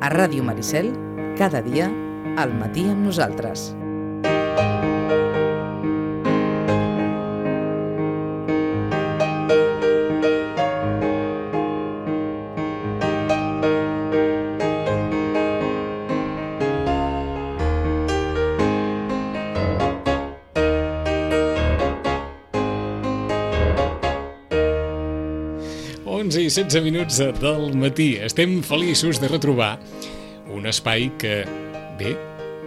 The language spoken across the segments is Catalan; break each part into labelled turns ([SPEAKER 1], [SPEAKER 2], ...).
[SPEAKER 1] A Ràdio Maricel, cada dia, al matí amb nosaltres.
[SPEAKER 2] I 16 minuts del matí. Estem feliços de retrobar un espai que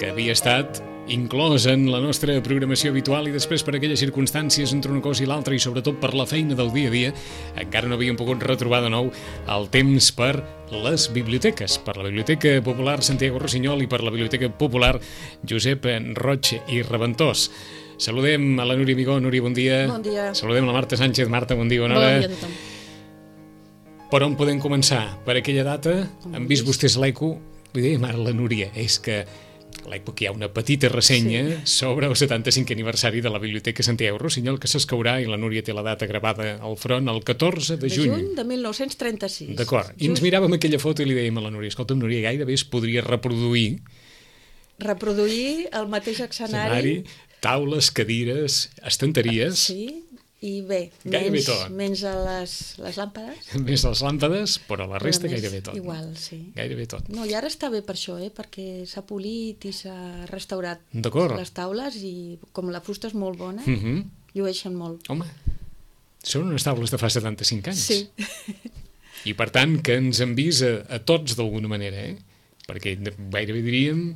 [SPEAKER 2] havia estat inclòs en la nostra programació habitual i després per aquelles circumstàncies entre una cosa i l'altra i sobretot per la feina del dia a dia encara no havíem pogut retrobar de nou el temps per les biblioteques, per la Biblioteca Popular Santiago Rossinyol i per la Biblioteca Popular Josep Roig i Reventós. Saludem a la Núria Amigó. Núria, bon dia.
[SPEAKER 3] Bon dia.
[SPEAKER 2] Saludem a la Marta Sánchez. Marta, bon dia, bona hora.
[SPEAKER 3] Bon dia a tothom.
[SPEAKER 2] Per on podem començar? Per aquella data, han vist vostès l'ECO? Li dèiem ara la Núria, és que l'ECO que hi ha una petita ressenya sobre el 75è aniversari de la Biblioteca Santiago Rossinyol que s'escaurà, i la Núria té la data gravada al front, el 14 de juny.
[SPEAKER 3] De juny de 1936.
[SPEAKER 2] D'acord. I ens miràvem aquella foto i li dèiem a la Núria, escolta'm, Núria, gairebé es podria reproduir
[SPEAKER 3] el mateix escenari.
[SPEAKER 2] Taules, cadires, estanteries.
[SPEAKER 3] Sí. I bé, menys a les làmpades.
[SPEAKER 2] Més les làmpades, però la resta gairebé tot.
[SPEAKER 3] Igual, sí.
[SPEAKER 2] Gairebé tot.
[SPEAKER 3] No, i ara està bé per això, perquè s'ha polit i s'ha restaurat les taules i com la fusta és molt bona, llueixen molt.
[SPEAKER 2] Home, són unes taules de fa 75 anys.
[SPEAKER 3] Sí.
[SPEAKER 2] I per tant que ens han vist a tots d'alguna manera, perquè gairebé diríem...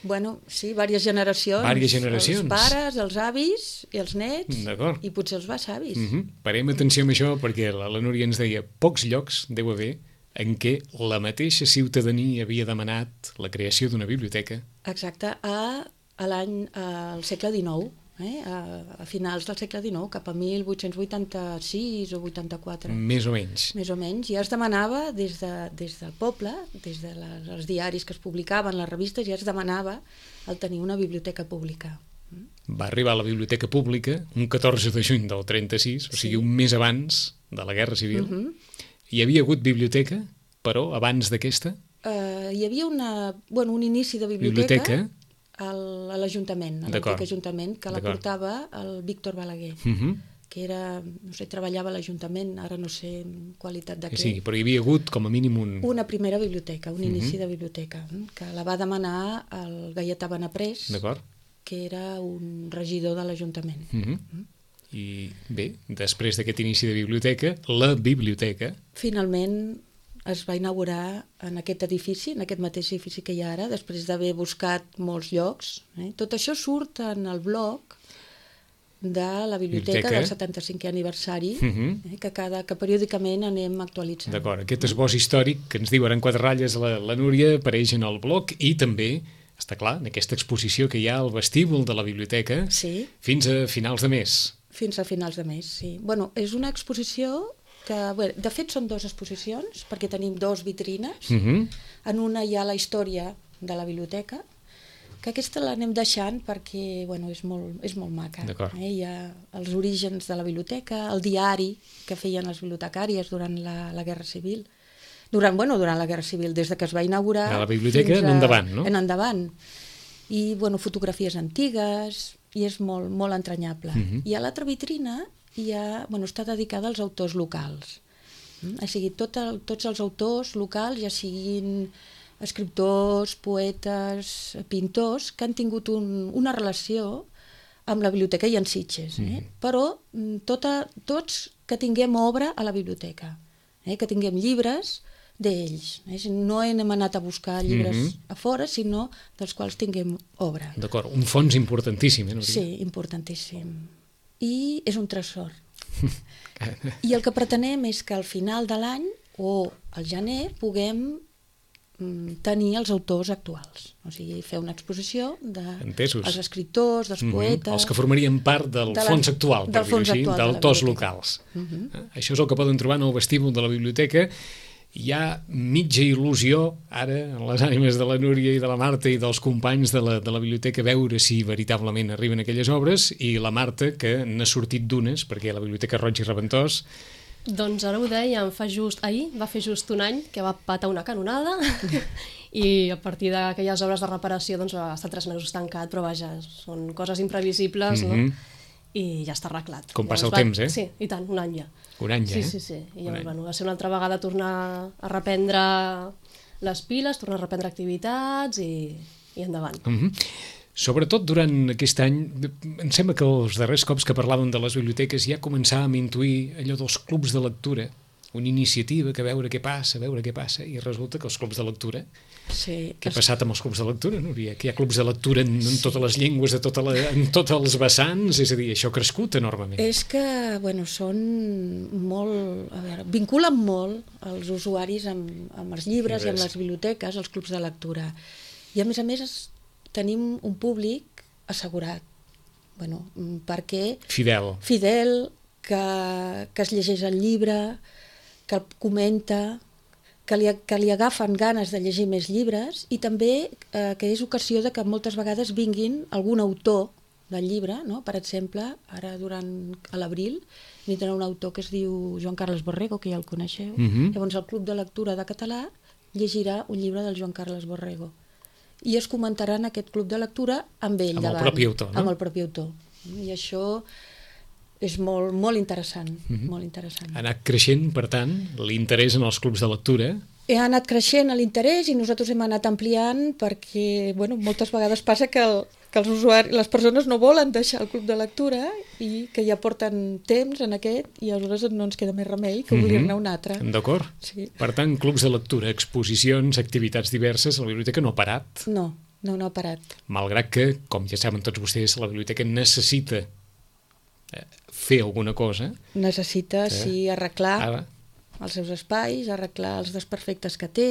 [SPEAKER 3] Bueno, sí, diverses generacions. Els pares, els avis i els nets.
[SPEAKER 2] D'acord.
[SPEAKER 3] I potser els besavis.
[SPEAKER 2] Parem atenció amb això perquè la Núria ens deia pocs llocs deu haver en què la mateixa ciutadania havia demanat la creació d'una biblioteca.
[SPEAKER 3] Exacte, al segle XIX. A finals del segle XIX, cap a 1886 o 84.
[SPEAKER 2] Més o menys.
[SPEAKER 3] Més o menys. Ja es demanava des del poble, des dels diaris que es publicaven, les revistes, ja es demanava el tenir una biblioteca pública.
[SPEAKER 2] Va arribar a la biblioteca pública un 14 de juny del 36, o sigui, un mes abans de la Guerra Civil. Hi havia hagut biblioteca, però abans d'aquesta?
[SPEAKER 3] Hi havia un inici de biblioteca a l'Ajuntament, a l'antic Ajuntament, que la portava el Víctor Balaguer, que era, no sé, treballava a l'Ajuntament, ara no sé en qualitat de què.
[SPEAKER 2] Sí, però hi havia hagut com a mínim
[SPEAKER 3] una primera biblioteca, un inici de biblioteca, que la va demanar el Gaietà Benaprés, que era un regidor de l'Ajuntament.
[SPEAKER 2] I bé, després d'aquest inici de biblioteca, la biblioteca...
[SPEAKER 3] Finalment es va inaugurar en aquest edifici, en aquest mateix edifici que hi ha ara, després d'haver buscat molts llocs. Tot això surt en el blog de la biblioteca del 75è aniversari, que periòdicament anem actualitzant.
[SPEAKER 2] D'acord, aquest esbós històric que ens diuen en 4 ratlles la Núria apareix en el blog i també, està clar, en aquesta exposició que hi ha al vestíbul de la biblioteca fins a finals de mes.
[SPEAKER 3] Fins a finals de mes, sí. Bueno, és una exposició que, de fet, són 2 exposicions, perquè tenim 2 vitrines. En una hi ha la història de la biblioteca, que aquesta l'anem deixant perquè és molt maca. Hi ha els orígens de la biblioteca, el diari que feien les bibliotecàries durant la Guerra Civil. Durant la Guerra Civil, des que es va inaugurar...
[SPEAKER 2] De la biblioteca en endavant, no?
[SPEAKER 3] En endavant. I, fotografies antigues, i és molt, molt entranyable. I a l'altra vitrina està dedicada als autors locals. O sigui, tots els autors locals, ja siguin escriptors, poetes, pintors, que han tingut una relació amb la biblioteca i en Sitges. Però tots que tinguem obra a la biblioteca, que tinguem llibres d'ells. No hem anat a buscar llibres a fora, sinó dels quals tinguem obra.
[SPEAKER 2] D'acord, un fons importantíssim, Núria?
[SPEAKER 3] Sí, importantíssim. I és un tresor. I el que pretenem és que al final de l'any o al gener puguem tenir els autors actuals, o sigui, fer una exposició dels escriptors, dels poetes...
[SPEAKER 2] Els que formarien part del fons actual, per dir-ho així, d'autors locals. Això és el que poden trobar en el vestíbul de la biblioteca. Hi ha mitja il·lusió, ara, en les ànimes de la Núria i de la Marta i dels companys de la biblioteca, veure si veritablement arriben aquelles obres, i la Marta, que n'ha sortit d'unes, perquè la Biblioteca Roig i Reventós
[SPEAKER 4] Doncs ara ho deia, ahir va fer just un any que va patar una canonada i a partir d'aquelles obres de reparació doncs, ha estat 3 mesos tancat, però vaja, són coses imprevisibles, no? I ja està arreglat.
[SPEAKER 2] Com passa el temps, eh?
[SPEAKER 4] Sí, i tant, un any ja.
[SPEAKER 2] Un any ja,
[SPEAKER 4] Sí. I llavors, bueno, va ser una altra vegada tornar a reprendre les piles, tornar a reprendre activitats i endavant.
[SPEAKER 2] Sobretot durant aquest any, em sembla que els darrers cops que parlàvem de les biblioteques ja començàvem a intuir allò dels clubs de lectura, una iniciativa que a veure què passa, i resulta que els clubs de lectura...
[SPEAKER 3] Sí.
[SPEAKER 2] Què ha passat amb els clubs de lectura, Núria? Que hi ha clubs de lectura en totes les llengües, en tots els vessants, és a dir, això ha crescut enormement.
[SPEAKER 3] És que, bueno, són molt... A veure, vinculen molt els usuaris amb els llibres i amb les biblioteques, els clubs de lectura. I a més, tenim un públic assegurat, bueno, perquè... Fidel, que es llegeix el llibre, que el comenta, que li agafen ganes de llegir més llibres i també que és ocasió de que moltes vegades vinguin algun autor del llibre, no? Per exemple, ara a l'abril vindrà un autor que es diu Joan Carles Borrego, que ja el coneixeu. Llavors el Club de Lectura de Català llegirà un llibre del Joan Carles Borrego i es comentarà en aquest club de lectura amb ell davant.
[SPEAKER 2] Amb el propi autor, no?
[SPEAKER 3] Amb el propi autor. I això és molt, molt interessant, molt interessant.
[SPEAKER 2] Ha anat creixent, per tant, l'interès en els clubs de lectura.
[SPEAKER 3] Ha anat creixent l'interès i nosaltres hem anat ampliant perquè, bueno, moltes vegades passa que els usuaris, les persones no volen deixar el club de lectura i que ja porten temps en aquest i aleshores no ens queda més remei que obrir-ne un altre.
[SPEAKER 2] D'acord.
[SPEAKER 3] Sí.
[SPEAKER 2] Per tant, clubs de lectura, exposicions, activitats diverses, la biblioteca no ha parat.
[SPEAKER 3] No ha parat.
[SPEAKER 2] Malgrat que, com ja saben tots vostès, la biblioteca necessita fer alguna cosa.
[SPEAKER 3] Necessita, sí, arreglar els seus espais, arreglar els desperfectes que té,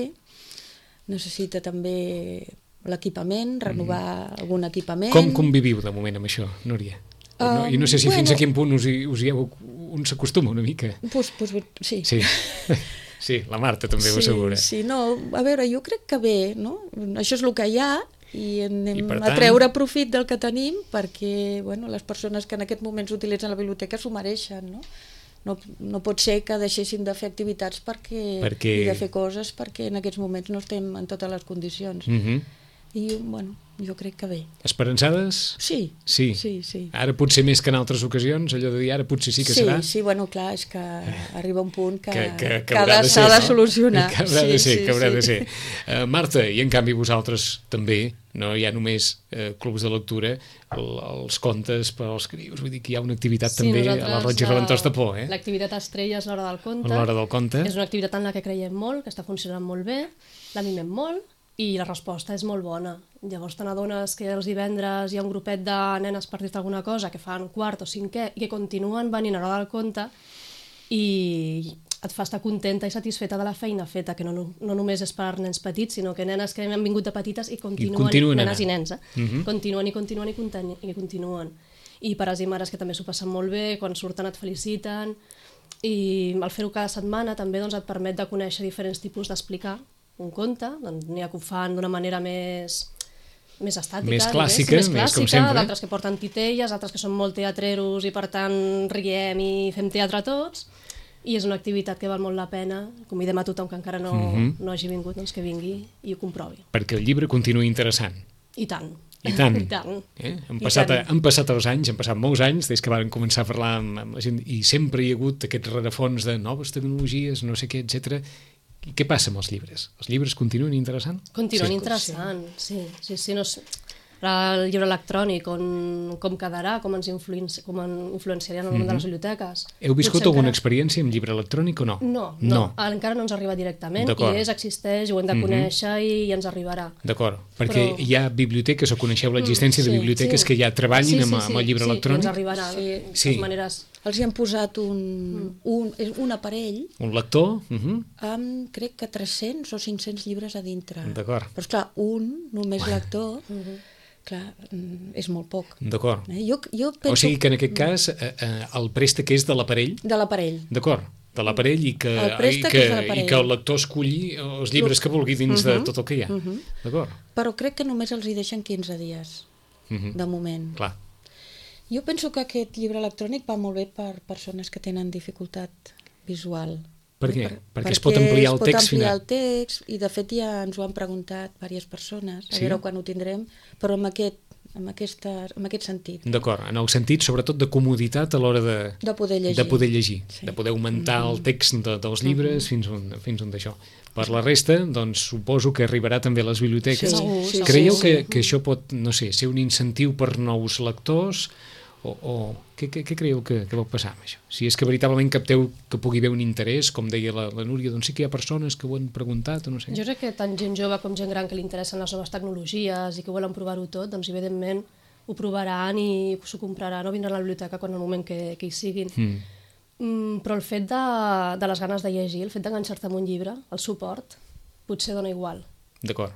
[SPEAKER 3] necessita també l'equipament, renovar algun equipament.
[SPEAKER 2] Com conviviu de moment amb això, Núria? I no sé si fins a quin punt un s'acostuma una mica.
[SPEAKER 3] Sí.
[SPEAKER 2] Sí, la Marta també ho assegura.
[SPEAKER 3] Sí, no, a veure, jo crec que bé, no? Això és el que hi ha i anem a treure profit del que tenim perquè, bueno, les persones que en aquest moment s'utilitzen la biblioteca s'ho mereixen, no? No pot ser que deixéssim de fer activitats i de fer coses perquè en aquests moments no estem en totes les condicions. I, bueno, jo crec que bé.
[SPEAKER 2] Esperançades?
[SPEAKER 3] Sí.
[SPEAKER 2] Ara potser més que en altres ocasions, allò de dir ara potser sí que serà?
[SPEAKER 3] Sí, bueno, clar, és que arriba un punt que
[SPEAKER 2] s'ha
[SPEAKER 3] de solucionar.
[SPEAKER 2] Que haurà de ser. Marta, i en canvi vosaltres també, no hi ha només clubs de lectura, els contes per als crios, vull dir que hi ha una activitat també a la Roig i Reventós de Por.
[SPEAKER 4] L'activitat estrella és l'hora del conte.
[SPEAKER 2] L'hora del conte.
[SPEAKER 4] És una activitat en la que creiem molt, que està funcionant molt bé, la mimem molt, i la resposta és molt bona. Llavors te n'adones que els divendres hi ha un grupet de nenes per dir-te alguna cosa que fan quart o cinquè i que continuen venint a l'hora del conte i et fa estar contenta i satisfeta de la feina feta, que no només és per nens petits, sinó que nenes que han vingut de petites i continuen nenes i nens, continuen. I pares i mares que també s'ho passen molt bé, quan surten et feliciten, i al fer-ho cada setmana també et permet de conèixer diferents tipus d'explicar un conte, n'hi ha que ho fan d'una manera més estàtica,
[SPEAKER 2] més clàssica, com sempre.
[SPEAKER 4] D'altres que porten titelles, altres que són molt teatreros i per tant riem i fem teatre tots, i és una activitat que val molt la pena. Convidem a tothom que encara no hagi vingut, doncs que vingui i ho comprovi.
[SPEAKER 2] Perquè el llibre continua interessant.
[SPEAKER 4] I tant.
[SPEAKER 2] Han passat els anys, han passat molts anys des que van començar a parlar amb la gent i sempre hi ha hagut aquests rerefons de noves tecnologies, no sé què, etc. I què passa amb els llibres? Els llibres continuen interessant?
[SPEAKER 4] Continuen interessant, sí. No, el llibre electrònic, com quedarà, com ens influenciarà en el món de les biblioteques.
[SPEAKER 2] Heu viscut alguna experiència amb llibre electrònic o no?
[SPEAKER 4] No, encara no ens arriba directament, i existeix, ho hem de conèixer i ens arribarà.
[SPEAKER 2] D'acord, perquè hi ha biblioteques, o coneixeu l'existència de biblioteques que ja treballin amb el llibre electrònic?
[SPEAKER 4] Sí, ens arribarà, de totes maneres.
[SPEAKER 3] Els hi han posat un aparell
[SPEAKER 2] un lector
[SPEAKER 3] amb crec que 300 o 500 llibres a dintre.
[SPEAKER 2] D'acord.
[SPEAKER 3] Però esclar, només lector, clar, és molt poc.
[SPEAKER 2] D'acord.
[SPEAKER 3] Jo penso...
[SPEAKER 2] O sigui que en aquest cas el préstec és de l'aparell?
[SPEAKER 3] De l'aparell.
[SPEAKER 2] D'acord, de l'aparell i que el lector escolli els llibres que vulgui dins de tot el que hi ha. D'acord.
[SPEAKER 3] Però crec que només els hi deixen 15 dies, de moment.
[SPEAKER 2] Clar.
[SPEAKER 3] Jo penso que aquest llibre electrònic va molt bé per persones que tenen dificultat visual,
[SPEAKER 2] Per què? Perquè es pot ampliar el text
[SPEAKER 3] Es pot ampliar
[SPEAKER 2] final.
[SPEAKER 3] el text, i de fet ja ens ho han preguntat diverses persones, a
[SPEAKER 2] Sí?
[SPEAKER 3] veure quan ho tindrem, però amb aquest sentit.
[SPEAKER 2] D'acord, en el sentit sobretot de comoditat a l'hora
[SPEAKER 3] De poder llegir.
[SPEAKER 2] de poder llegir,
[SPEAKER 3] Sí.
[SPEAKER 2] de poder augmentar el text dels llibres fins on d'això. Per la resta, doncs suposo que arribarà també a les biblioteques.
[SPEAKER 3] Sí,
[SPEAKER 4] Segur,
[SPEAKER 3] sí,
[SPEAKER 4] segur.
[SPEAKER 2] Creieu
[SPEAKER 3] sí.
[SPEAKER 2] que això pot, no sé, ser un incentiu per nous lectors o què creieu que pot passar amb això? Si és que veritablement capteu que pugui haver un interès, com deia la Núria, doncs sí que hi ha persones que ho han preguntat o no sé.
[SPEAKER 4] Jo crec que tant gent jove com gent gran que li interessen les noves tecnologies i que volen provar-ho tot, doncs evidentment ho provaran i s'ho compraran o vindran a la biblioteca quan el moment que hi siguin. Però el fet de les ganes de llegir, el fet d'enganxar-te amb un llibre, el suport, potser dona igual.
[SPEAKER 2] D'acord.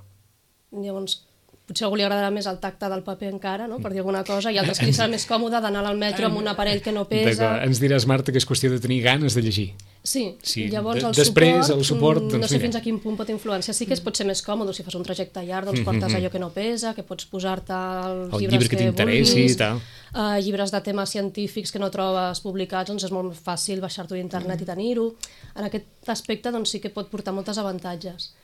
[SPEAKER 4] Llavors, potser a algú li agradarà més el tacte del paper encara, no?, per dir alguna cosa, i altres que li serà més còmode d'anar al metro amb un aparell que no pesa.
[SPEAKER 2] D'acord. Ens diràs, Marta, que és qüestió de tenir ganes de llegir.
[SPEAKER 4] Sí,
[SPEAKER 2] Sí,
[SPEAKER 4] llavors
[SPEAKER 2] després el suport, doncs
[SPEAKER 4] no sé
[SPEAKER 2] mira.
[SPEAKER 4] fins a quin punt pot influenciar. Sí que es pot ser més còmode si fas un trajecte llarg, doncs portes allò que no pesa, que pots posar-te els
[SPEAKER 2] El
[SPEAKER 4] llibres
[SPEAKER 2] llibre que t'interessi
[SPEAKER 4] vulguis,
[SPEAKER 2] i tal.
[SPEAKER 4] Llibres de temes científics que no trobes publicats, doncs és molt fàcil baixar-t'ho d'internet i tenir-ho. En aquest aspecte doncs sí que pot portar moltes avantatges.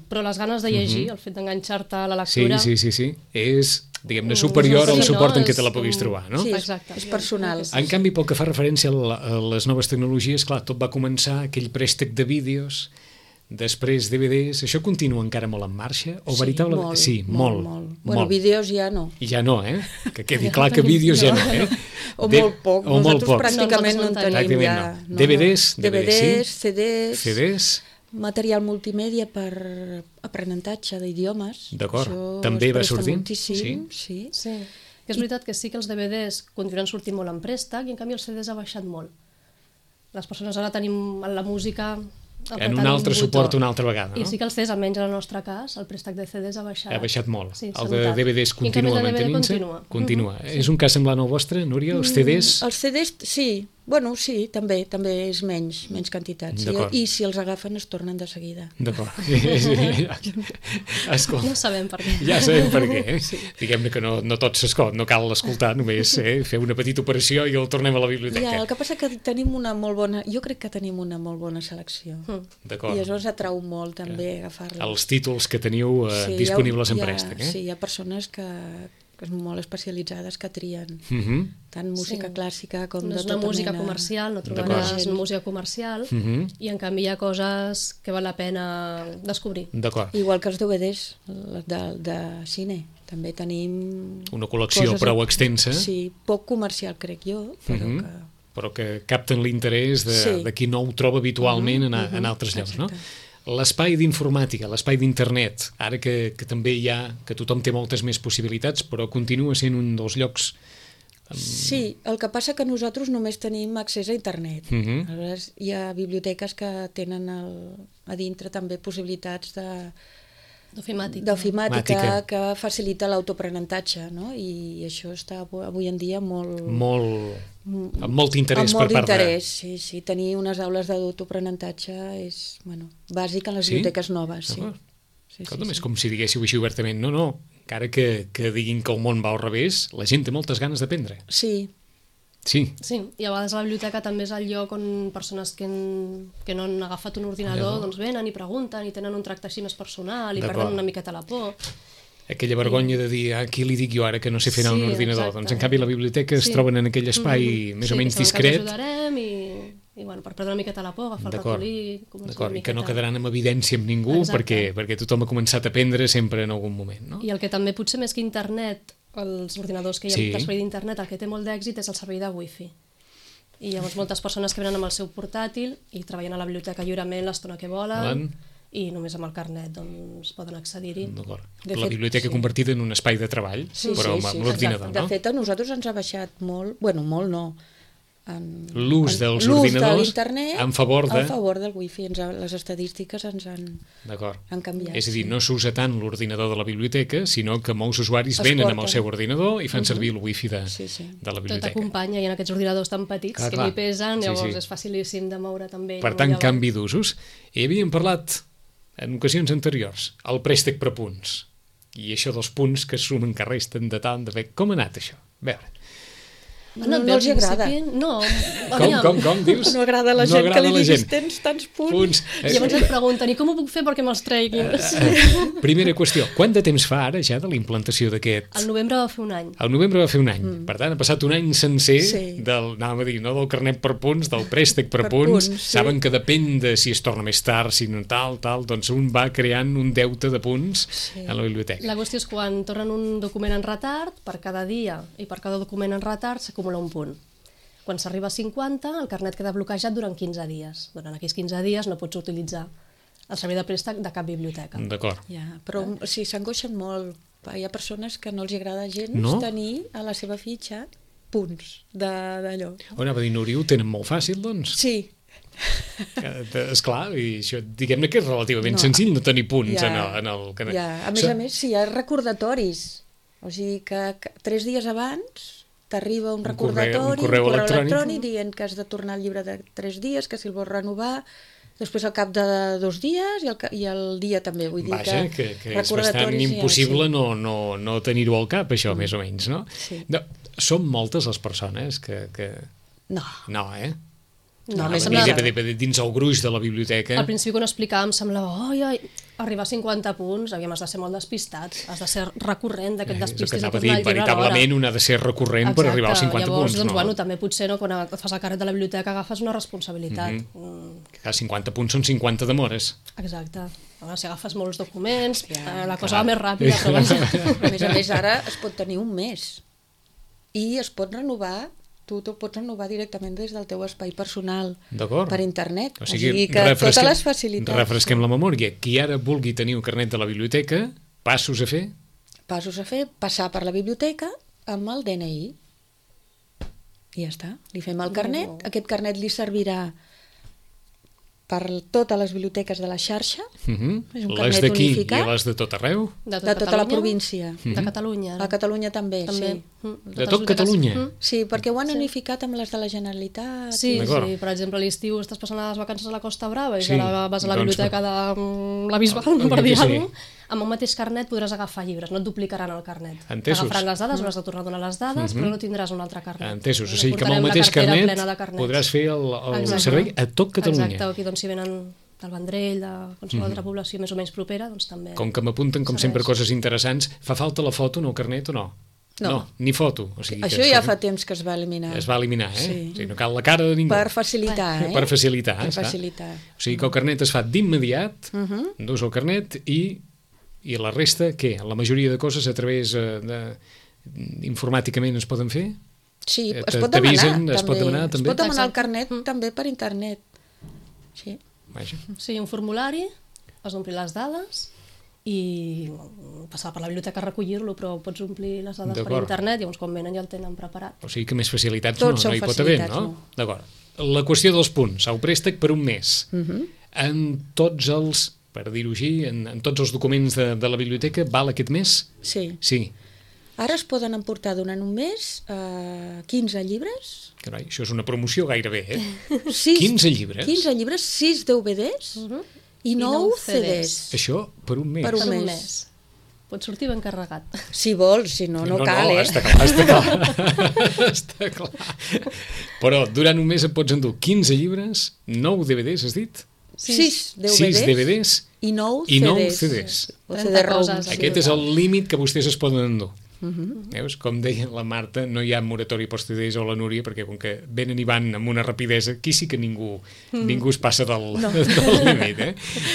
[SPEAKER 4] Però les ganes de llegir, el fet d'enganxar-te a la
[SPEAKER 2] Sí,
[SPEAKER 4] lectura...
[SPEAKER 2] sí. És, diguem-ne, superior al
[SPEAKER 4] Sí,
[SPEAKER 2] suport
[SPEAKER 4] no?
[SPEAKER 2] en què te la
[SPEAKER 4] És
[SPEAKER 2] puguis
[SPEAKER 4] un-
[SPEAKER 2] trobar, no?
[SPEAKER 3] Sí,
[SPEAKER 4] Exacte.
[SPEAKER 3] és personal.
[SPEAKER 2] En canvi, pel que fa referència a les noves tecnologies, clar, tot va començar aquell préstec de vídeos, després DVDs, això continua encara molt en marxa? O veritablement?
[SPEAKER 3] molt,
[SPEAKER 2] Sí,
[SPEAKER 3] molt. Bueno,
[SPEAKER 2] molt.
[SPEAKER 3] vídeos ja no.
[SPEAKER 2] I ja no, Que quedi clar que vídeos ja no,
[SPEAKER 3] O molt poc.
[SPEAKER 2] O molt
[SPEAKER 3] Nosaltres
[SPEAKER 2] poc.
[SPEAKER 3] pràcticament no en tenim
[SPEAKER 2] Pràcticament
[SPEAKER 3] ja.
[SPEAKER 2] no. DVDs,
[SPEAKER 3] DVDs,
[SPEAKER 2] sí.
[SPEAKER 3] CDs,
[SPEAKER 2] CDs,
[SPEAKER 3] material multimèdia per aprenentatge d'idiomes.
[SPEAKER 2] D'acord.
[SPEAKER 3] Això
[SPEAKER 2] També
[SPEAKER 3] es
[SPEAKER 2] va
[SPEAKER 3] presta
[SPEAKER 2] sortint?
[SPEAKER 3] moltíssim, sí.
[SPEAKER 4] Sí, que és veritat que sí que els DVDs continuen sortint molt en préstec i en canvi els CDs ha baixat molt. Les persones ara tenim la música...
[SPEAKER 2] en un altre suport una altra vegada, no?
[SPEAKER 4] I sí que els CDs, almenys en el nostre cas, el préstec de CDs ha baixat.
[SPEAKER 2] Ha baixat molt.
[SPEAKER 4] Sí,
[SPEAKER 2] El
[SPEAKER 4] s'ha
[SPEAKER 2] de
[SPEAKER 4] notat.
[SPEAKER 2] DVDs
[SPEAKER 4] I en canvi
[SPEAKER 2] continua
[SPEAKER 4] el de DVD
[SPEAKER 2] mantenint-se?
[SPEAKER 4] continua.
[SPEAKER 2] És un cas semblant al vostre, Núria? Els CDs?
[SPEAKER 3] Els CDs, sí. Bueno, sí, també és menys quantitats.
[SPEAKER 2] D'acord.
[SPEAKER 3] I si els agafen es tornen de seguida.
[SPEAKER 2] D'acord. Escolta,
[SPEAKER 4] No sabem per què.
[SPEAKER 2] ja sabem per què. Diguem-ne que no tot s'escolta, no cal escoltar, només fer una petita operació i el tornem a la biblioteca.
[SPEAKER 3] Ja, el que passa que tenim una molt bona... Jo crec que tenim una molt bona selecció.
[SPEAKER 2] D'acord.
[SPEAKER 3] I això ens atrau molt, també, agafar-la.
[SPEAKER 2] Els títols que teniu disponibles en préstec,
[SPEAKER 3] Sí, hi ha persones que són molt especialitzades que trien tant música clàssica com
[SPEAKER 4] No
[SPEAKER 3] de
[SPEAKER 4] és una
[SPEAKER 3] tota
[SPEAKER 4] música
[SPEAKER 3] mena.
[SPEAKER 4] comercial, no
[SPEAKER 2] D'acord.
[SPEAKER 4] trobaràs música comercial i en canvi hi ha coses que val la pena descobrir.
[SPEAKER 2] D'acord.
[SPEAKER 3] Igual que els DVDs de cine. També tenim...
[SPEAKER 2] Una col·lecció
[SPEAKER 3] coses
[SPEAKER 2] prou extensa,
[SPEAKER 3] Sí, poc comercial, crec jo, però que...
[SPEAKER 2] però que capten l'interès
[SPEAKER 3] Sí.
[SPEAKER 2] de qui no ho troba habitualment en altres llocs, no?
[SPEAKER 3] exacte.
[SPEAKER 2] L'espai d'informàtica, l'espai d'internet, ara que també que tothom té moltes més possibilitats, però continua sent un dels llocs...
[SPEAKER 3] Sí, el que passa que nosaltres només tenim accés a internet. Aleshores, hi ha biblioteques que tenen a dintre també possibilitats
[SPEAKER 4] D'ofimàtica.
[SPEAKER 3] d'ofimàtica que facilita l'autoprenentatge, no? I això està avui en dia
[SPEAKER 2] amb molt interès
[SPEAKER 3] amb molt
[SPEAKER 2] per part
[SPEAKER 3] d'interès, sí. Tenir unes aules d'autoprenentatge és bàsic en les biblioteques noves, sí.
[SPEAKER 2] Escolta'm, és com si diguéssiu així obertament, no, encara que diguin que el món va al revés, la gent té moltes ganes d'aprendre.
[SPEAKER 3] Sí,
[SPEAKER 2] Sí,
[SPEAKER 4] Sí, i a vegades la biblioteca també és el lloc on persones que no han agafat un ordinador doncs venen i pregunten i tenen un tracte així més personal i
[SPEAKER 2] D'acord.
[SPEAKER 4] perden una miqueta la por.
[SPEAKER 2] aquella vergonya de dir qui li dic jo ara que no sé fer anar
[SPEAKER 4] Sí,
[SPEAKER 2] un ordinador.
[SPEAKER 4] exacte.
[SPEAKER 2] Doncs en canvi a la biblioteca es
[SPEAKER 4] Sí.
[SPEAKER 2] troben en aquell espai més o menys
[SPEAKER 4] que saben que
[SPEAKER 2] discret.
[SPEAKER 4] els ajudarem i bueno, per perdre una miqueta la por, agafar el
[SPEAKER 2] D'acord,
[SPEAKER 4] ratolí... començar
[SPEAKER 2] d'acord,
[SPEAKER 4] una
[SPEAKER 2] i que no
[SPEAKER 4] miqueta.
[SPEAKER 2] quedaran en evidència amb ningú
[SPEAKER 4] Exacte.
[SPEAKER 2] perquè tothom ha començat a aprendre sempre en algun moment, no?
[SPEAKER 4] I el que també potser més que internet, els ordinadors que hi ha
[SPEAKER 2] Sí.
[SPEAKER 4] per servei d'internet, el que té molt d'èxit és el servei de wifi. I llavors moltes persones que venen amb el seu portàtil i treballen a la biblioteca lliurement l'estona que volen i només amb el carnet doncs, poden accedir-hi.
[SPEAKER 2] D'acord.
[SPEAKER 3] De
[SPEAKER 2] La
[SPEAKER 3] fet,
[SPEAKER 2] biblioteca
[SPEAKER 3] sí.
[SPEAKER 2] convertida en un espai de treball, però amb l'ordinador,
[SPEAKER 3] De
[SPEAKER 2] no?
[SPEAKER 3] fet, a nosaltres ens ha baixat molt, molt no,
[SPEAKER 2] L'ús dels
[SPEAKER 3] l'ús de
[SPEAKER 2] ordinadors
[SPEAKER 3] l'internet
[SPEAKER 2] en favor de...
[SPEAKER 3] a favor del wifi. Les estadístiques ens
[SPEAKER 2] D'acord.
[SPEAKER 3] han canviat.
[SPEAKER 2] És a dir, no s'usa tant l'ordinador de la biblioteca, sinó que molts usuaris
[SPEAKER 3] Es
[SPEAKER 2] venen amb el
[SPEAKER 3] porten.
[SPEAKER 2] seu ordinador i fan servir el wifi de la
[SPEAKER 4] Tot
[SPEAKER 2] biblioteca.
[SPEAKER 4] acompanya, i en aquests ordinadors tan petits
[SPEAKER 2] Clar,
[SPEAKER 4] que
[SPEAKER 2] clar.
[SPEAKER 4] ni pesen,
[SPEAKER 2] Sí,
[SPEAKER 4] llavors
[SPEAKER 2] sí.
[SPEAKER 4] és facilíssim de moure també.
[SPEAKER 2] Per tant, canvi d'usos. I havíem parlat en ocasions anteriors, el préstec per punts. I això dels punts que es sumen, que resten de tant, de fer... Com ha anat això? A veure,
[SPEAKER 3] No els hi agrada.
[SPEAKER 4] No,
[SPEAKER 2] Com, dius?
[SPEAKER 3] No agrada a la gent que li diguis tens tants punts.
[SPEAKER 4] Llavors et pregunten, i com ho puc fer perquè me'ls treguin?
[SPEAKER 2] Primera qüestió, quant de temps fa ara ja de la implantació d'aquest?
[SPEAKER 4] El novembre va fer un any.
[SPEAKER 2] El novembre va fer un any. Per tant, ha passat un any sencer anàvem a dir, no del carnet per punts, del préstec per punts. Saben que depèn de si es torna més tard, si no tal, doncs un va creant un deute de punts a la biblioteca.
[SPEAKER 4] La qüestió és quan tornen un document en retard, per cada dia i per cada document en retard s'acumula un punt. Quan s'arriba a 50, el carnet queda bloquejat durant 15 dies. Durant aquells 15 dies no pots utilitzar el servei de préstec de cap biblioteca.
[SPEAKER 2] D'acord.
[SPEAKER 3] Ja, però sí, s'angoixen molt. Hi ha persones que no els agrada gens tenir a la seva fitxa punts d'allò.
[SPEAKER 2] Anava a dir, Núria, ho tenen molt fàcil, doncs?
[SPEAKER 3] Sí.
[SPEAKER 2] Esclar, i això, diguem-ne que és relativament senzill no tenir punts en el carnet.
[SPEAKER 3] A més, sí, hi ha recordatoris. O sigui que 3 dies abans t'arriba un recordatori, un correu electrònic dient que has de tornar al llibre de 3 dies, que si el vols renovar, després al cap de 2 dies i el dia també. Vull dir
[SPEAKER 2] que és bastant impossible no tenir-ho al cap, això, més o menys, no? Sí. Són moltes les persones que...
[SPEAKER 3] No.
[SPEAKER 2] No,
[SPEAKER 3] No,
[SPEAKER 2] dins el gruix de la biblioteca.
[SPEAKER 4] Al principi quan ho explicàvem semblava arribar a 50 punts, has de ser molt despistat, has de ser recurrent d'aquest despist.
[SPEAKER 2] Veritablement un ha de ser recurrent per arribar als 50 punts.
[SPEAKER 4] Llavors, bueno, també potser quan et fas el carnet de la biblioteca agafes una responsabilitat.
[SPEAKER 2] Que 50 punts són 50 demores.
[SPEAKER 4] Exacte. Si agafes molts documents, la cosa va més ràpida.
[SPEAKER 3] A més, ara es pot tenir un mes i es pot renovar. Tu t'ho pots renovar directament des del teu espai personal per internet. O sigui que totes les facilitats.
[SPEAKER 2] Refresquem la memòria. Qui ara vulgui tenir un carnet de la biblioteca, passos a fer?
[SPEAKER 3] Passos a fer, passar per la biblioteca amb el DNI. I ja està. Li fem el carnet. Aquest carnet li servirà per totes les biblioteques de la xarxa.
[SPEAKER 2] Les d'aquí i les de tot arreu?
[SPEAKER 3] De tota la província.
[SPEAKER 4] De Catalunya.
[SPEAKER 3] A Catalunya també, sí.
[SPEAKER 2] De tot Catalunya?
[SPEAKER 3] Sí, perquè ho han unificat amb les de la Generalitat.
[SPEAKER 4] Sí, per exemple, a l'estiu estàs passant les vacances a la Costa Brava i ara vas a la biblioteca de la Bisbal, per dir-ho. Amb un mateix carnet podràs agafar llibres, no et duplicaran el carnet. T'agafaran les dades, hauràs de tornar a donar les dades, però no tindràs un altre carnet.
[SPEAKER 2] Entesos, o sigui que amb el mateix carnet podràs fer el servei a tot Catalunya.
[SPEAKER 4] Exacte, aquí doncs si venen del Vendrell, de qualsevol altra població més o menys propera, doncs també...
[SPEAKER 2] Com que m'apunten, com sempre, coses interessants, fa falta la foto en el carnet o no? No, ni foto.
[SPEAKER 3] Això ja fa temps que es va eliminar.
[SPEAKER 2] Es va eliminar, O sigui, no cal la cara de ningú.
[SPEAKER 3] Per facilitar,
[SPEAKER 2] Per facilitar. O sigui que el carnet es fa d'immediat, dus el carnet i la resta, què? La majoria de coses a través informàticament es poden fer?
[SPEAKER 3] Sí, es pot demanar.
[SPEAKER 2] Es pot demanar també?
[SPEAKER 3] Es pot demanar el carnet també per internet. Sí.
[SPEAKER 4] Sí, un formulari, has d'omplir les dades i passar per la biblioteca a recollir-lo, però pots omplir les dades per internet, llavors quan venen ja el tenen preparat.
[SPEAKER 2] O sigui que més facilitats no hi pot haver, no? D'acord. La qüestió dels punts, el préstec per un mes. En tots els, per dir-ho així, en tots els documents de la biblioteca, val aquest mes?
[SPEAKER 3] Sí. Ara es poden emportar durant un mes 15 llibres.
[SPEAKER 2] Carai, això és una promoció gairebé,
[SPEAKER 3] 15
[SPEAKER 2] llibres?
[SPEAKER 3] 15 llibres, 6 DVDs i 9 CDs.
[SPEAKER 2] Això per un mes?
[SPEAKER 3] Per un mes.
[SPEAKER 4] Pots sortir ben carregat.
[SPEAKER 3] Si vols, si no cal,
[SPEAKER 2] Està clar. Està clar. Però durant un mes et pots endur 15 llibres, 9 DVDs, has dit?
[SPEAKER 3] 6
[SPEAKER 2] DVDs
[SPEAKER 3] i 9
[SPEAKER 2] CDs.
[SPEAKER 3] CD-ROMs.
[SPEAKER 2] Aquest és el límit que vostès es poden endur. Veus? Com deia la Marta, no hi ha moratori pels CDs o la Núria, perquè com que venen i van amb una rapidesa, aquí sí que ningú es passa del límit.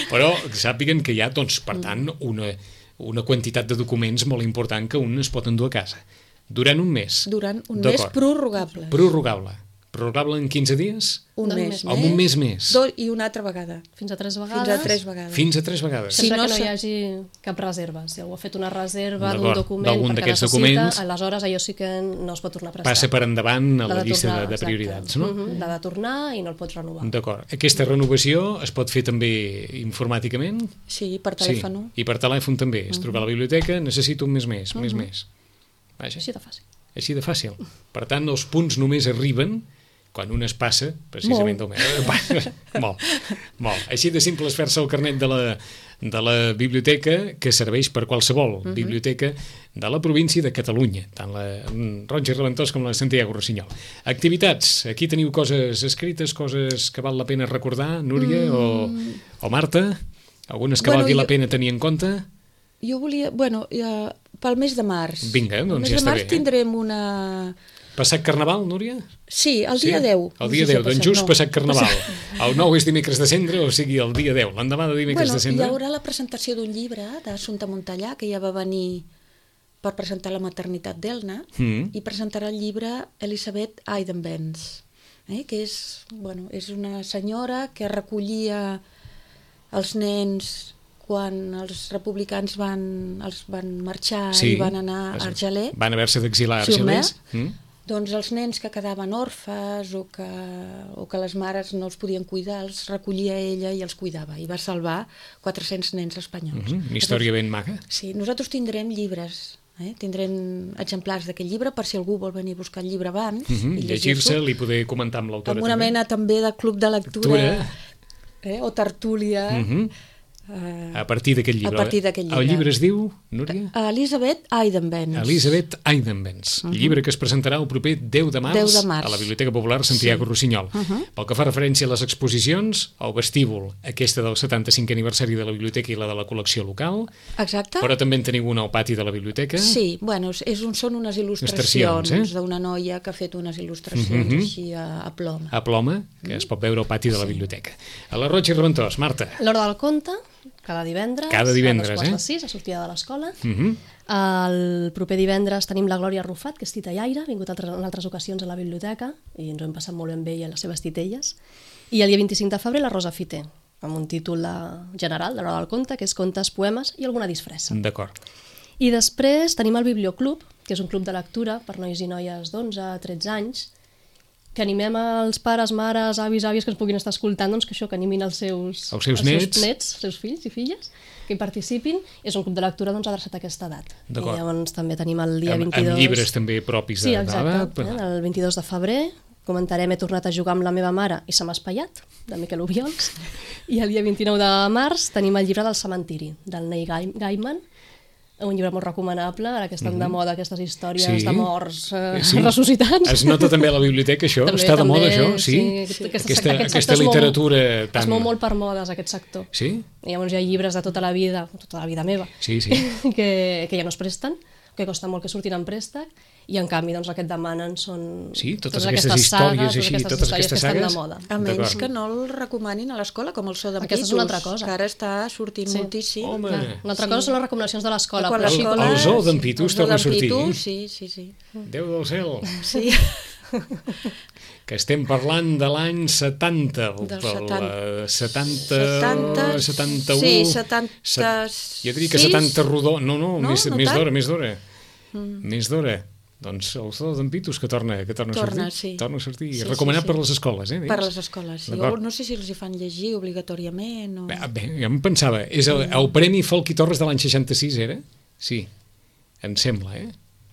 [SPEAKER 2] Però sàpiguen que hi ha, doncs, per tant, una quantitat de documents molt important que un es pot endur a casa. Durant un mes.
[SPEAKER 3] Durant un mes prorrogable.
[SPEAKER 2] Prorrogable en 15 dies?
[SPEAKER 3] Un mes
[SPEAKER 2] més.
[SPEAKER 3] I una altra vegada.
[SPEAKER 4] Fins a 3 vegades.
[SPEAKER 2] Fins a 3 vegades.
[SPEAKER 4] Sempre que no hi hagi cap reserva. Si algú ha fet una reserva d'un document perquè necessita, aleshores allò sí que no es pot tornar a prestar.
[SPEAKER 2] Passa per endavant a la llista de prioritats, no?
[SPEAKER 4] L'ha de tornar i no el pots renovar.
[SPEAKER 2] D'acord. Aquesta renovació es pot fer també informàticament?
[SPEAKER 3] Sí, per telèfon.
[SPEAKER 2] I per telèfon també. Es truca a la biblioteca, necessito un mes més.
[SPEAKER 4] Així de fàcil.
[SPEAKER 2] Així de fàcil. Per tant, els punts només arriben quan un es passa, precisament del mes. Molt. Així de simple és fer-se el carnet de de la biblioteca que serveix per qualsevol biblioteca de la província de Catalunya, tant la Roig i Reventós com la Santiago Rossinyol. Activitats, aquí teniu coses escrites, coses que val la pena recordar, Núria o Marta? Algunes que valgui la pena tenir en compte?
[SPEAKER 3] Jo volia, pel mes de març.
[SPEAKER 2] Vinga, doncs ja està bé.
[SPEAKER 3] El mes de març tindrem una...
[SPEAKER 2] Passat Carnaval, Núria?
[SPEAKER 3] Sí, el dia 10.
[SPEAKER 2] El dia 10, doncs just passat Carnaval. El 9 és dimecres de cendre, o sigui, el dia 10, l'endemà de dimecres de cendre.
[SPEAKER 3] Hi haurà la presentació d'un llibre d'Assumpta Montellà, que ja va venir per presentar la maternitat d'Elna, i presentarà el llibre Elisabeth Eidenbenz, que és una senyora que recollia els nens quan els republicans van marxar i van anar a Argelers.
[SPEAKER 2] Van haver-se d'exilar a Argelers.
[SPEAKER 3] Doncs els nens que quedaven orfes o que les mares no els podien cuidar, els recollia ella i els cuidava. I va salvar 400 nens espanyols.
[SPEAKER 2] Una història ben maca.
[SPEAKER 3] Sí, nosaltres tindrem llibres. Tindrem exemplars d'aquest llibre per si algú vol venir a buscar el llibre abans i
[SPEAKER 2] llegir-se, li poder comentar amb l'autora.
[SPEAKER 3] Amb una mena també de club de lectura o tertúlia.
[SPEAKER 2] A partir d'aquest llibre. El llibre es diu, Núria?
[SPEAKER 3] Elisabeth Eidenbenz.
[SPEAKER 2] Elisabeth Eidenbenz. Llibre que es presentarà el proper 10 de març a la Biblioteca Popular Santiago Rossinyol. Pel que fa referència a les exposicions, el vestíbul, aquesta del 75è aniversari de la biblioteca i la de la col·lecció local.
[SPEAKER 3] Exacte.
[SPEAKER 2] Però també en teniu una al pati de la biblioteca.
[SPEAKER 3] Sí, són unes il·lustracions d'una noia que ha fet unes il·lustracions així a ploma.
[SPEAKER 2] A ploma, que es pot veure al pati de la biblioteca. A la Roig i Reventós, Marta.
[SPEAKER 4] L'Hora del Conte, cada divendres, a 2:45, a sortida de l'escola. El proper divendres tenim la Glòria Rufat, que és titellaire, ha vingut en altres ocasions a la biblioteca i ens ho hem passat molt ben bé i a les seves titelles. I el dia 25 de febrer la Rosa Fiter, amb un títol general de l'Hora del Conte, que és contes, poemes i alguna disfressa.
[SPEAKER 2] D'acord.
[SPEAKER 4] I després tenim el Biblioclub, que és un club de lectura per nois i noies d'11 a 13 anys, que animem els pares, mares, avis, àvies que ens puguin estar escoltant, doncs que això, que animin els seus nets, els seus fills i filles, que hi participin. És un club de lectura adreçat a aquesta edat. I llavors també tenim el dia 22...
[SPEAKER 2] Amb llibres també propis de
[SPEAKER 4] dada. Sí, exacte. El 22 de febrer comentarem He tornat a jugar amb la meva mare i se m'ha espaiat, de Miquel Obiols. I el dia 29 de març tenim el llibre del cementiri, del Neil Gaiman, un llibre molt recomanable, ara que estan de moda aquestes històries de morts ressuscitats.
[SPEAKER 2] Es nota també a la biblioteca això? Està de moda això? Sí. Aquesta literatura tan...
[SPEAKER 4] Es mou molt per modes, aquest sector.
[SPEAKER 2] Sí?
[SPEAKER 4] I llavors hi ha llibres de tota la vida meva, que ja no es presten, que costa molt que surtin en préstec, i en canvi doncs, el que et demanen són
[SPEAKER 2] totes aquestes històries, totes aquestes sagues
[SPEAKER 4] de moda.
[SPEAKER 3] A menys que no el recomanin a l'escola, com el So d'en Pitus.
[SPEAKER 4] Aquesta és una altra cosa.
[SPEAKER 3] Que ara està sortint moltíssim.
[SPEAKER 4] Una altra cosa són les recomanacions de l'escola.
[SPEAKER 2] El So d'en Pitus torna a sortir.
[SPEAKER 3] Sí.
[SPEAKER 2] Déu del cel.
[SPEAKER 3] Sí.
[SPEAKER 2] Que estem parlant de l'any 70.
[SPEAKER 3] Del
[SPEAKER 2] 71...
[SPEAKER 3] Sí, 70...
[SPEAKER 2] Jo diria que 70 rodó... No, més d'hora. Més d'hora. Doncs el So d'en Pitus que torna a sortir. Torna a sortir. Recomanat per les escoles,
[SPEAKER 3] Per les escoles, sí. No sé si els hi fan llegir obligatòriament o...
[SPEAKER 2] Bé, jo em pensava. És el Premi Folch i Torres de l'any 66, era? Sí, em sembla,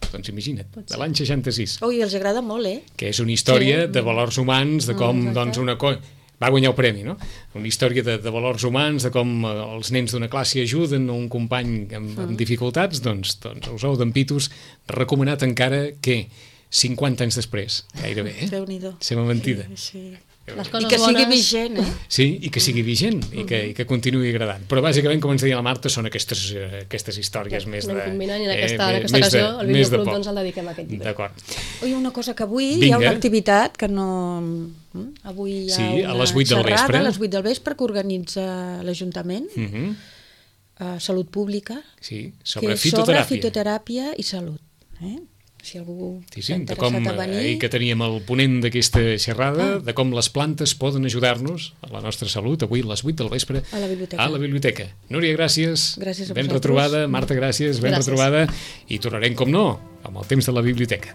[SPEAKER 2] Doncs imagina't, de l'any 66.
[SPEAKER 3] I els agrada molt,
[SPEAKER 2] Que és una història de valors humans, de com, una cosa... Va guanyar el premi, no? Una història de valors humans, de com els nens d'una classe ajuden un company amb dificultats, doncs el So d'en Pitus, recomanat encara, 50 anys després, gairebé,
[SPEAKER 3] Déu-n'hi-do.
[SPEAKER 2] Sembla mentida.
[SPEAKER 3] Sí.
[SPEAKER 4] Les coses
[SPEAKER 3] I que sigui
[SPEAKER 4] bones...
[SPEAKER 3] vigent,
[SPEAKER 2] Sí, i que sigui vigent, i que continuï agradant. Però bàsicament, com ens deia la Marta, són aquestes històries més de...
[SPEAKER 4] Combinant, i en aquesta ocasió el Biblioclub doncs el dediquem a aquest llibre.
[SPEAKER 2] D'acord.
[SPEAKER 3] Una cosa que avui hi ha una activitat que no... Avui hi ha una xerrada a les 8 del vespre que organitza l'Ajuntament, Salut Pública,
[SPEAKER 2] sobre
[SPEAKER 3] fitoteràpia i salut. Si algú està interessat a venir...
[SPEAKER 2] Ahir que teníem el ponent d'aquesta xerrada, de com les plantes poden ajudar-nos a la nostra salut, avui a les 8 del vespre
[SPEAKER 3] a la biblioteca.
[SPEAKER 2] Núria, gràcies.
[SPEAKER 3] Gràcies a
[SPEAKER 2] ben retrobada. Marta, gràcies. Ben retrobada. I tornarem, com no, amb el temps de la biblioteca.